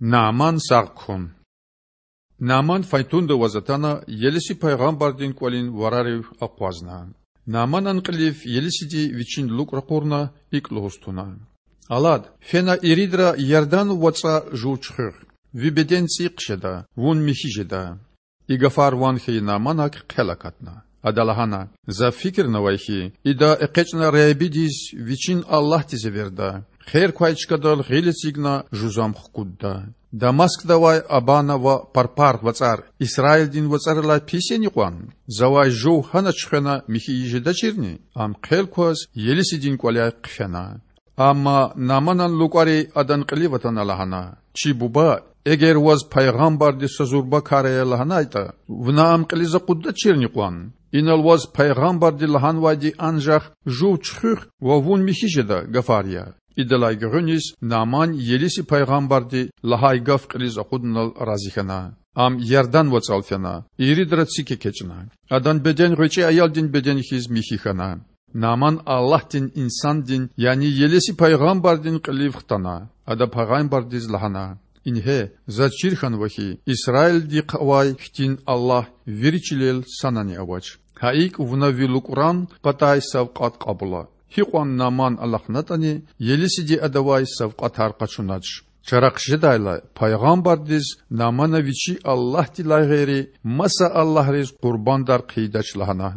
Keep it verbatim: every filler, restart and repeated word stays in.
Наъман сагъ хъун. Наъман файтунда аваз атана, Елиси пайгъамбардин кІвалин варарив акъвазна. Наъманан кьилив Елисиди вичин лукІ ракъурна, икІ лугьуз туна: Алад, фена иридра Ярдан вацІа жув чуьхуьх. Ви беден цІийи хъжеда, вун михьи жеда. И гафар ван хьайи Наъманак хъел акатна. Ада лагьана: За фикирнавай хьи, ида экъечІна Худадиз, вичин Аллагьдиз эверда, хер квай чкадал гъил эцигна жузам хкудда. Дамаскда авай Абана ва Парпар вацІар Исраилдин вацІарилай пис яни кьван? Завай жув гьана чуьхвена михьи жедачирни? Ам хъел кваз Елисидин кІваляй хъфена. Амма Наъманан лукІари адан кьилив атана лагьана: Чи буба, эгер ваз пайгъамбарди са зурба кар ая лагьанайтІа, вуна ам кьилиз акъуддачирни кьван? Инал ваз пайгъамбарди лагьанвайди анжах жув чуьхуьх ва вун михьи жеда гафар я. Идалай гуьгъуьниз Наъман Елиси пайгъамбарди лагьай гаф кьилиз акъудунал рази хьана. Ам Ярдан вацІал фена, иридра цик экечІна. Адан беден гъвечІи аялдин беден хьиз михьи хьана. Наъман Аллагьдин инсандин, яни Елиси пайгъамбардин кьилив хтана. Ада пайгъамбардиз лагьана: Ингье, заз чир хьанва хьи, Исраилдихъ авай хьтин Аллагь вири чилел санани авач. Гьа икІ вуна ви лукІран патай савкьват кьабула. Гьикьван Наъман алахънатІани, Елисиди адавай савкьватар къачунач. Чара хъжедайла, пайгъамбардиз Наъмана вичи Аллагьдилай гъейри маса аллагьриз къурбандар хъийидач лагьана.